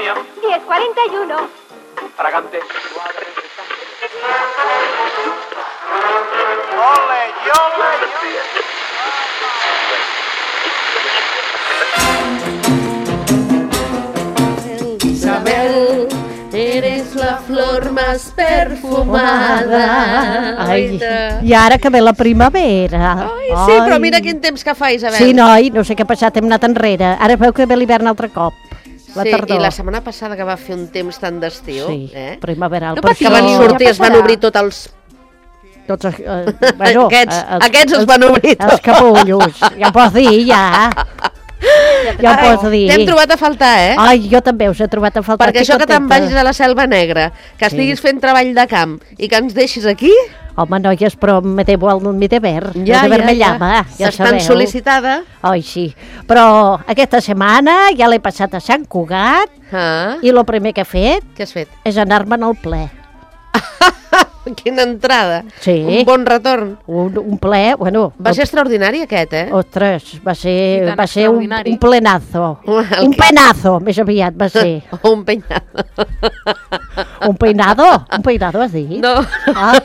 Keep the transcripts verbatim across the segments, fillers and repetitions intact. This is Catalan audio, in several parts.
Antonia. diez cuarenta y uno. Fragante. Ole, ole, Isabel, eres la flor más perfumada. Ai, i ara que ve la primavera. Ai, sí, però mira quin temps que fa, Isabel. Sí, noi, no sé què ha passat, hem anat enrere. Ara veu que ve l'hivern altre cop. La sí, tardor. I la setmana passada que va fer un temps tan d'estiu, sí, eh? primaveral. No patiu, que van sortir, es van obrir tots els... Tots els... Eh, bueno, aquests, eh, els, aquests els van obrir tots. Els capullos, ja ho pots dir, ja. Ja ho pots dir. T'hem trobat a faltar, eh? Ai, jo també us he trobat a faltar. Perquè això que te'n vagis a la Selva Negra, que sí. estiguis fent treball de camp i que ens deixis aquí... Home, noies, però me devo el mi deber. Ja, el deber ja, me ja. llama, ja Estàs tan sabeu. sol·licitada. Ai, sí. Però aquesta setmana ja l'he passat a Sant Cugat ah. i el primer que he fet... Què has fet? És anar-me'n al ple. Quina entrada. Sí. Un bon retorn. Un, un ple, bueno... Va ser extraordinari aquest, eh? Ostres, va ser, va ser un, un plenazo. El un que... penazo, més aviat va ser. un peinado. un peinado? Un peinado has dit? No. Ah.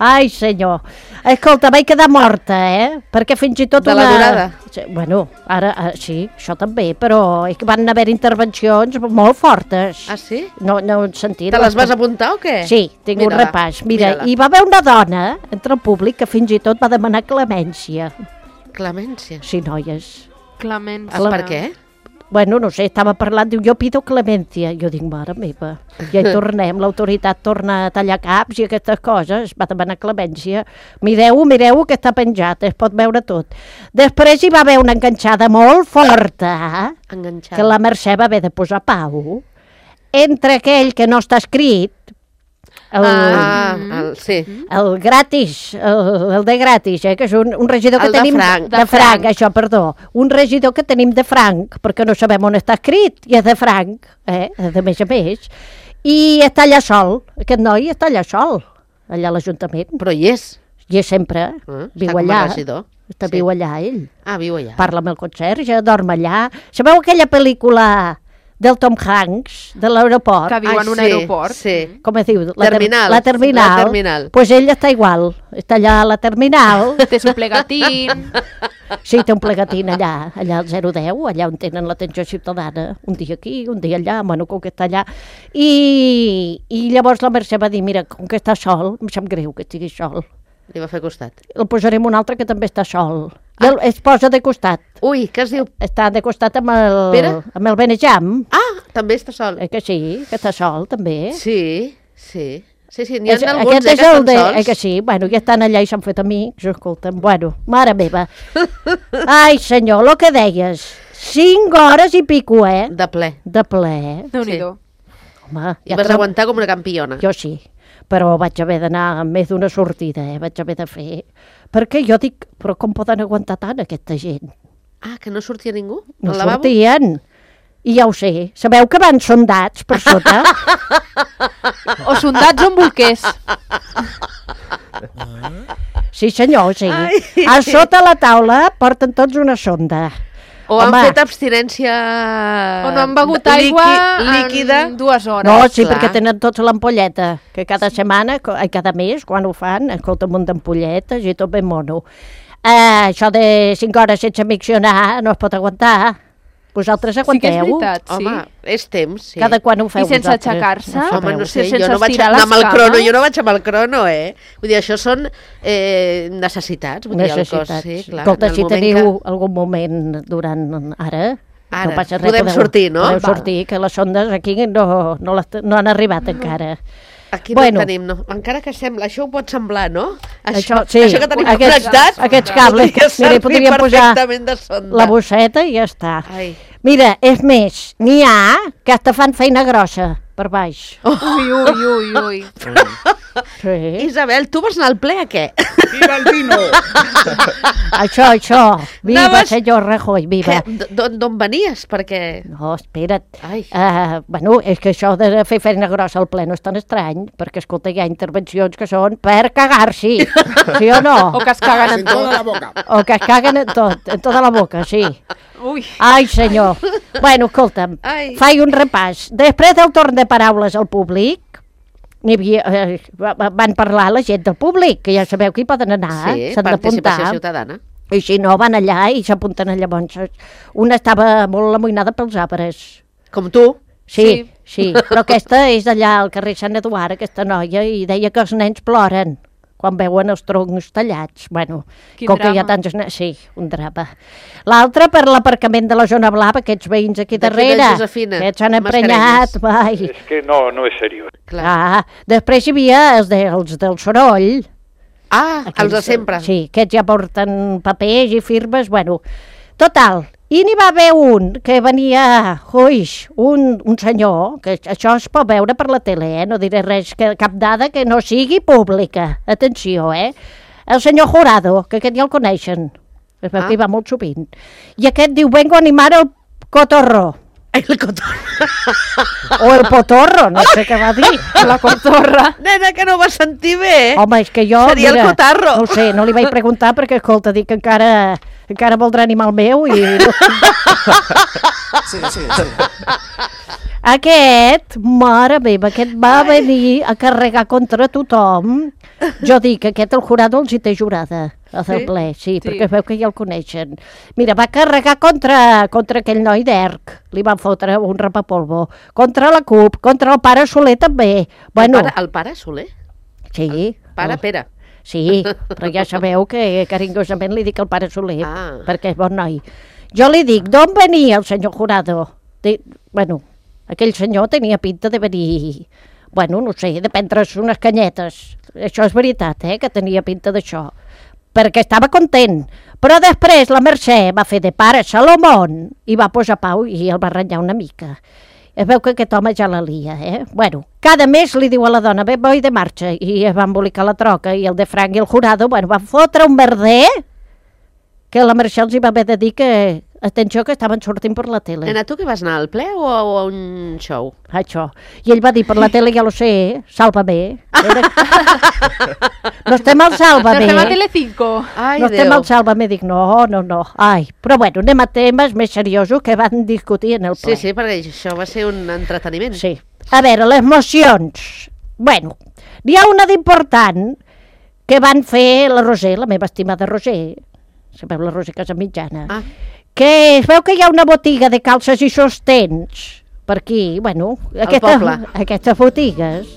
Ai, senyor. Escolta, vaig quedar morta, eh? Perquè fins i tot de una... la durada? Bueno, ara, ara sí, això també, però és que van haver intervencions molt fortes. Ah, sí? No, no he sentit. Te les vas apuntar o què? Sí, tinc Mira-la. un repàs. Mira, Mira-la. hi va haver una dona entre el públic que fins i tot va demanar clemència. Clemència? Sí, noies. Clemència. El per què? Bueno, no sé, estava parlant, diu, jo pido clemència. Jo dic, mare meva, ja hi tornem, l'autoritat torna a tallar caps i aquestes coses, va demanar clemència. Mireu-ho, mireu-ho, que està penjat, es pot veure tot. Després hi va haver una enganxada molt forta, enganxada. Que la Mercè va haver de posar pau, entre aquell que no està escrit, el, ah, el, sí. el gratis, el, el de gratis, eh, que és un, un regidor que el de tenim... franc. De, de franc, això, perdó. Un regidor que tenim de franc, perquè no sabem on està escrit, i és de franc, eh, de més a més. I està allà sol, aquest noi està allà sol, allà a l'Ajuntament. Però hi és. Hi és sempre, ah, viu allà. Regidor. Està sí. viu allà, ell. Ah, viu allà. Parla amb el conserge, dorm allà. Sabeu aquella pel·lícula del Tom Hanks, de l'aeroport? Que viu en un sí, aeroport. Sí. Com es diu? La terminal. La terminal. La terminal. Pues ell està igual. Està allà a la terminal. Té un plegatín. Sí, té un plegatín allà, allà al zero deu, allà on tenen l'atenció ciutadana. Un dia aquí, un dia allà, bueno, com que està allà. I, i llavors la Mercè va dir, mira, com que està sol, em sap greu que estigui sol. Li va fer costat. El posarem un altre que també està sol. Ah. El, es posa de costat. Ui, què es diu? Està de costat amb el, Pere? amb el Benejam. Ah, també està sol. Eh que sí, que està sol, també. Sí, sí. Sí, sí, n'hi ha és, alguns aquest eh, és que el estan de, sols. eh que sí, bueno, ja estan allà i s'han fet amics, escolta'm, bueno, mare meva. Ai, senyor, el que deies, cinc hores i pico, eh? De ple. De ple. Déu-n'hi-do. Home, I vas tre- aguantar com una campiona. Jo sí, però vaig haver d'anar amb més d'una sortida, eh? Vaig haver de fer... Perquè jo dic, però com poden aguantar tant aquesta gent? Ah, que no sortia ningú? No al lavabo? sortien. I ja ho sé. Sabeu que van sondats per sota? O sondats o bolquers. Sí, senyor, sí. Ai. A sota la taula porten tots una sonda. O Home. han fet abstinència... O no han begut aigua líquida en dues hores. No, sí, clar. perquè tenen tots l'ampolleta, que cada setmana, co- ai, cada mes, quan ho fan, escolta, un munt d'ampolletes i tot ben mono. Eh, això de cinc hores sense miccionar no es pot aguantar. Vosaltres Sí que és aguanteu? veritat, sí. Home, és temps, sí. Cada quan ho feu I sense vosaltres? aixecar-se? No Home, no sabeu. sé, sense jo no vaig estirar anar amb el les crono, cames. jo no vaig amb el crono, eh? Vull dir, això són eh, necessitats, vull dir, el cos, Necessitats. sí, clar. Escolta, en el si moment teniu algun moment durant ara... Ara, no passa res, podem podeu, sortir, no? Podeu Val. sortir, que les sondes aquí no, no, les, no han arribat encara. Aquí no Bueno. en tenim, no. Encara que sembla, això ho pot semblar, no? Això, sí, això que tenim aquests, connectat, aquests cables, podria mira, servir podríem posar perfectament de sonda. la bosseta i ja està. Ai. Mira, és més, n'hi ha que hasta fan feina grossa per baix. Ui, ui, ui, ui. Sí. Isabel, tu vas anar al ple a què? Viva el vino! Això, això. Viva, Anaves- senyor Rajoy, viva. Què? D'on d'on venies? Perquè... No, espera't. Ai. Uh, bueno, és que això de fer feina grossa al ple no és tan estrany, perquè, escolta, hi ha intervencions que són per cagar-s'hi, sí o no? O que es caguen en En toda la tot. boca. O que es caguen en tot, en tota la boca, sí. Ui. Ai, senyor. Bueno, escolta'm, Ai. faig un repàs. Després del torn de paraules al públic, n'hi havia, eh, va- va- van parlar la gent del públic, que ja sabeu que hi poden anar, Sí, s'han participació d'apuntar. ciutadana. I si no, van allà i s'apunten llavors. Una estava molt amoïnada pels arbres. Com tu. Sí, Sí. sí, però aquesta és d'allà al carrer Sant Eduard, aquesta noia, i deia que els nens ploren quan veuen els troncs tallats. Bueno, Quin com que hi ha drama. tants nens... Sí, un drama. L'altre per l'aparcament de la zona blava, aquests veïns aquí D'aquí de darrere, Josefina, que s'han emprenyat. Vai. Es que no, no es serio. Clar. Ah, després hi havia els, de, els del soroll. Ah, els de sempre. Sí, aquests ja porten papers i firmes, bueno. Total, i n'hi va haver un que venia, uix, un, un senyor, que això es pot veure per la tele, eh? No diré res, que, cap dada que no sigui pública. Atenció, eh? El senyor Jurado, que aquest ja el coneixen, es veu Ah. que hi va molt sovint. I aquest diu, vengo a animar el cotorro, El cotó. o el potorro, no sé què va dir. La cotorra. Nena, que no ho vas sentir bé. Home, és que jo... Seria el cotarro. No ho sé, no li vaig preguntar perquè, escolta, dic que encara, encara voldrà animar el meu i... Sí, sí, sí. Aquest, mare meva, aquest va venir a carregar contra tothom. Jo dic que aquest el jurado els hi té jurada, a del Sí? ple, sí, Sí. perquè veu que ja el coneixen. Mira, va carregar contra, contra aquell noi d'Erc, li van fotre un rapapolvo, contra la CUP, contra el pare Soler també. Bueno, El, pare, el pare Soler? sí. Pare el- Pere. Sí, però ja sabeu que carinyosament li dic al pare Soler, Ah. perquè és bon noi. Jo li dic, d'on venia el senyor Jurado? De, bueno, aquell senyor tenia pinta de venir, bueno, no sé, de prendre's unes canyetes. Això és veritat, eh, que tenia pinta d'això. Perquè estava content. Però després la Mercè va fer de pare Salomón i va posar pau i el va ratllar una mica. Es veu que aquest home ja la lia, eh? Bueno, cada mes li diu a la dona, bé, voi de marxa, i es va embolicar la troca, i el de Frank i el Jurado, bueno, van fotre un merder que la Mercè els hi va haver de dir que, atenció, que estaven sortint per la tele. Nena, tu que vas anar al ple o a, o a un show? Això. I ell va dir, per la tele ja lo sé, sálvame. Era... no estem al No sálvame. estem a Telecinco. Ai, no estem Déu. al sálvame, dic, no, no, no. Ai, però bueno, anem a temes més seriosos que van discutir en el ple. Sí, sí, perquè això va ser un entreteniment. Sí. A veure, les mocions. Bueno, n'hi ha una d'important que van fer la Roser, la meva estimada Roser, sabeu la Roser Casamitjana, Ah, que es veu que hi ha una botiga de calces i sostens per aquí, bueno, aquesta, poble. aquestes botigues.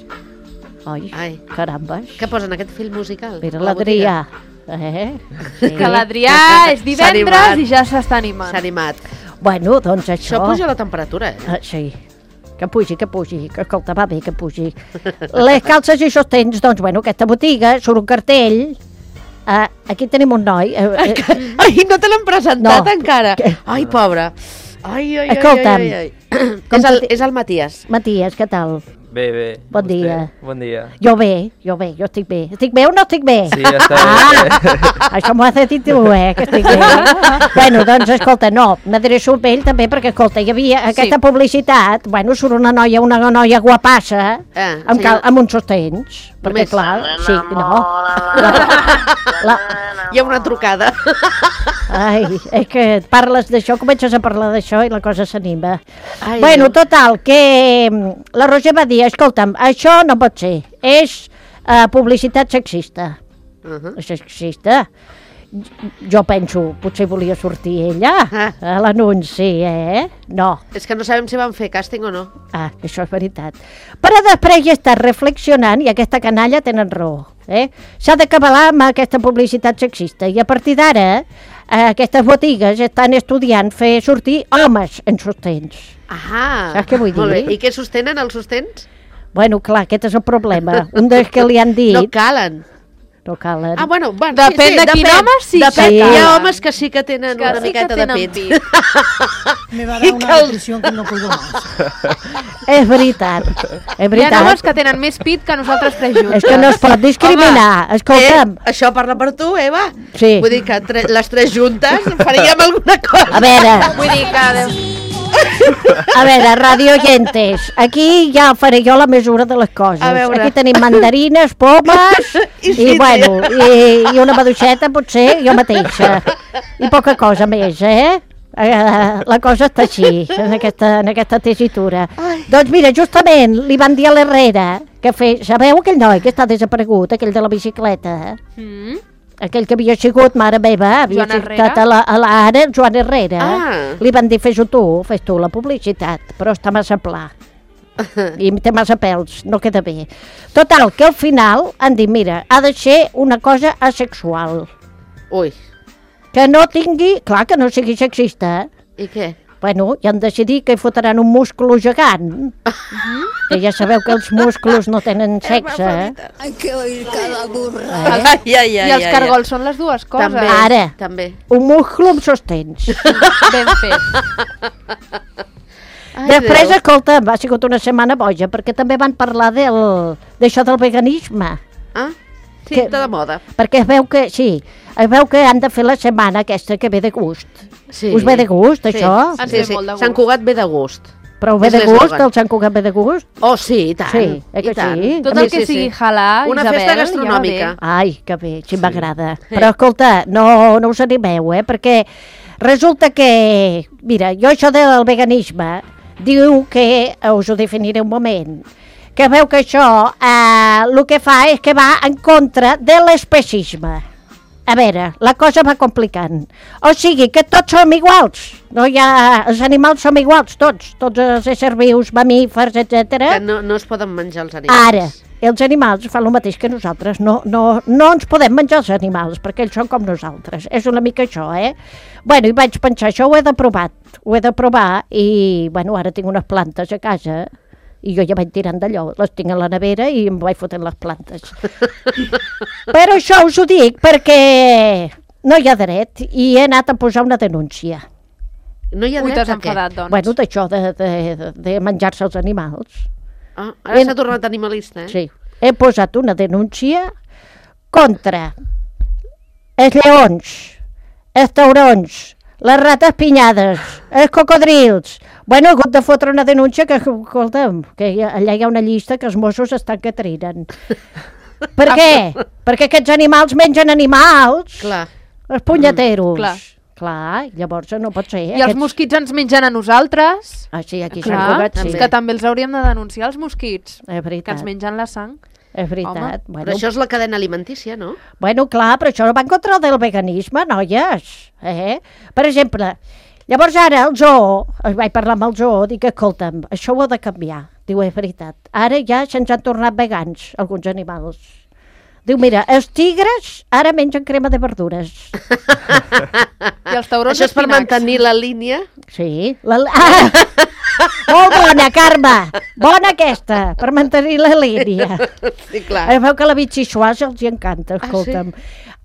Ai, ai. carambes. Què posen, aquest film musical? Mira A la l'Adrià. Eh? Sí. Que l'Adrià és S'ha divendres animat. i ja s'està botiga? animant. S'ha animat. Bueno, doncs això... Això puja la temperatura, eh? Ah, sí, que pugi, que pugi, que escolta, va bé que pugi. Les calces i sostens, doncs, bueno, aquesta botiga, surt un cartell, uh, aquí tenim un noi, uh, uh, Ai, no te l'han presentat No. encara. Què? Ai, pobre. Ai, ai, ai, Escolta'm. ai, ai, ai. Com És el, te- és el Matías. Matías, què tal? Bé, bé. Bon Vostè? dia. Bon dia. Jo bé, jo bé, jo estic bé. Estic bé o no estic bé? Sí, està ah, bé. això m'ho ha de dir tu, eh, que estic bé. bueno, doncs, escolta, no, m'adreço a ell també, perquè, escolta, hi havia aquesta Sí. publicitat, bueno, surt una noia, una noia guapassa, Eh, amb, cal, senyor- amb uns sostens, perquè, Només. clar, sí, no. La, la, Hi ha una trucada. ai, és que parles d'això, comences a parlar d'això i la cosa s'anima. Ai, Bueno, Déu. total, que mm, la Roger va dir, escolta'm, això no pot ser, és uh, publicitat sexista. Uh -huh. Sexista? Jo penso, potser volia sortir ella Ah. a l'anunci, eh? No. És que no sabem si van fer càsting o no. Ah, això és veritat. Però després he estat reflexionant i aquesta canalla tenen raó. Eh? S'ha d'acabar amb aquesta publicitat sexista i a partir d'ara eh, aquestes botigues estan estudiant fer sortir homes en sostens. Ah, Saps què vull molt dir? bé. I què sostenen els sostens? Bueno, clar, aquest és el problema. Un dels que li han dit... No calen. no calen. Ah, bueno, bueno depèn sí, sí, de quin depèn, home sí depèn. que Hi ha cal. homes que sí que tenen Que una sí que miqueta tenen de pit. pit. Me va a I dar que una els- depresión que no puedo más. És veritat, és Hi ha veritat. homes que tenen més pit que nosaltres tres juntes. És que no es pot discriminar. Home, Escolta'm, eh, això parla per tu, Eva. Sí. Vull dir que tre les tres juntes faríem alguna cosa. a veure, Vull dir que... a veure, radio oyentes, aquí ja faré jo la mesura de les coses. A veure. Aquí tenim mandarines, pomes I i, sí, bueno, i, i una maduixeta, potser, jo mateixa. I poca cosa més, eh? Eh, la cosa està així, en aquesta, en aquesta tesitura. Ai. Doncs mira, justament li van dir a l'Herrera que fe... Sabeu aquell noi que està desaparegut, aquell de la bicicleta? Mm? Aquell que havia sigut, mare meva, havia Joan estat Herrera? a la, a la ara, el Joan Herrera. Ah. Li van dir, fes-ho tu, fes tu la publicitat, però està massa pla. I té massa pèls, no queda bé. Total, que al final han dit, mira, ha de ser una cosa asexual. Ui, Que no tingui, clar, que no sigui sexista. i què? Bueno, ja han decidit que hi fotran un múscul gegant. Que ja sabeu que els músculs no tenen sexe. Eh? Hay que oír cada burra. Ai, ai, ai, I els ai, cargols són les dues coses. També, Ara. també. Un múscul amb sostens. Ben fet. Ai, Després, Déu. escolta, ha sigut una setmana boja, perquè també van parlar del d'això del veganisme. Ah, sí, Que- està de moda. Perquè es veu que, sí, es veu que han de fer la setmana aquesta que ve de gust. Sí. Us ve de gust, Sí. això? Ens Sí, ve sí. molt de gust. Sant Cugat ve de gust. Però ve És de gust, l'eslògan. el Sant Cugat ve de gust? Oh, sí, i tant. Sí, eh que i tant. sí? Tot A el mi que sí, sigui sí. halal, Una Isabel, festa ja va gastronòmica. bé. Ai, que bé, sí, m'agrada. Però escolta, no, no us animeu, eh? Perquè resulta que, mira, jo això del veganisme, diu que, eh, us ho definiré un moment, que veu que això eh, el que fa és que va en contra de l'especisme. A veure, la cosa va complicant. O sigui, que tots som iguals. No hi ha... Els animals som iguals, tots. Tots els éssers vius, mamífers, etcètera. Que no, no es poden menjar els animals. Ara, els animals fan el mateix que nosaltres. No, no, no ens podem menjar els animals, perquè ells són com nosaltres. És una mica això, eh? Bueno, i vaig pensar, això ho he de provar. Ho he de provar i, bueno, ara tinc unes plantes a casa i jo ja vaig tirant d'allò. Les tinc a la nevera i em vaig fotent les plantes. Però això us ho dic perquè no hi ha dret i he anat a posar una denúncia. No hi ha Ui, dret t'has a què? enfadat, doncs. Bueno, d'això de, de, de, de menjar-se els animals. Ah, ara En- s'ha tornat animalista, eh? Sí, he posat una denúncia contra els lleons, els taurons, les rates pinyades, els cocodrils. Bueno, he hagut de fotre una denúncia que, escolta'm, que hi ha, allà hi ha una llista que els Mossos estan que triren. Per què? Perquè aquests animals mengen animals, Clar. els punyeteros. Mm, clar. Clar, llavors no pot ser. I els mosquits ens mengen a nosaltres. Ah, sí, aquí s'han Clar, Cugat, sí. és que també els hauríem de denunciar, els mosquits. És Que veritat, ens mengen la sang. és veritat. Home, Bueno, Però això és la cadena alimentícia, no? Bueno, clar, però això va en contra del veganisme, noies. Eh? Per exemple, llavors ara el zoo, vaig parlar amb el zoo, dic, escolta'm, això ho ha de canviar. Diu, és veritat. Ara ja se'ns han tornat vegans, alguns animals. Diu, mira, els tigres ara mengen crema de verdures. I els taurons Això és per espinacs. mantenir la línia. Sí. La... Ah! Molt bona, Carme! Bona aquesta, per mantenir la línia. Sí, clar. Es veu que la bitxixuàs els hi encanta, Ah, escolta'm.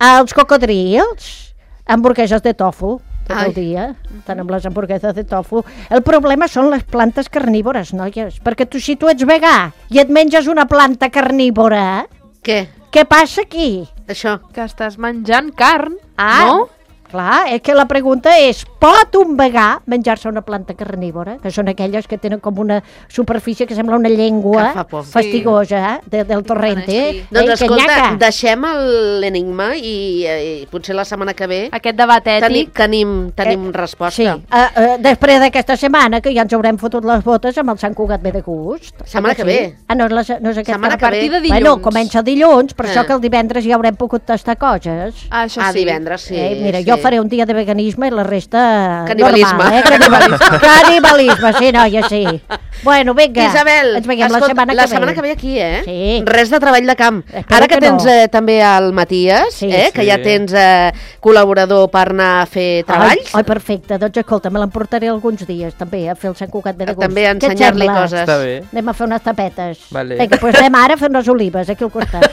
Els cocodrils, hamburgueses de tofu, tot Ai. el dia, estan amb les hamburgueses de tofu. El problema són les plantes carnívores, noies, perquè tu, si tu ets vegà i et menges una planta carnívora, Què? què passa aquí? Això. Que estàs menjant carn, Ah, no? clar, és que la pregunta és, pot un vegà menjar-se una planta carnívora? Que són aquelles que tenen com una superfície que sembla una llengua Que fa por. fastigosa, eh, de, del torrente. així. Eh, Doncs que escolta, nyaca. deixem el- l'enigma i, i potser la setmana que ve Aquest debat teni, ètic. tenim, tenim Eh, resposta. Sí, uh, uh, després d'aquesta setmana, que ja ens haurem fotut les botes amb el Sant Cugat ve de gust. Setmana que Sí? ve. Ah, no, és la, no és aquesta. Setmana A que ve. partir de dilluns. Bueno, comença dilluns, per Eh. això que el divendres ja haurem pogut tastar coses. Ah, això Ah, sí. divendres, sí. eh, mira, sí. jo faré un dia de veganisme i la resta Canibalisme. normal, eh? Canibalisme. Canibalisme, sí, noia, sí. Bueno, vinga, Isabel, ens veiem la escolta, setmana que la ve. setmana que ve aquí, eh? Sí. Res de treball de camp. Espero Ara que, que no. tens eh, també el Matías, Sí. eh? que Sí. ja tens eh, col·laborador per anar a fer treballs, Ai, ai, perfecte, doncs escolta, me l'emportaré alguns dies també a fer el Sant Cugat ve de gust. també a Què et ensenyar-li sembla? coses. Està bé. Anem a fer unes tapetes. Vale. Vinga, doncs anem ara a fer unes olives aquí al costat.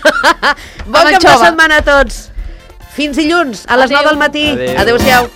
Bon Amb cap de anxova. setmana a tots. Fins dilluns, a les Adéu. nou del matí. Adéu. Adéu-siau.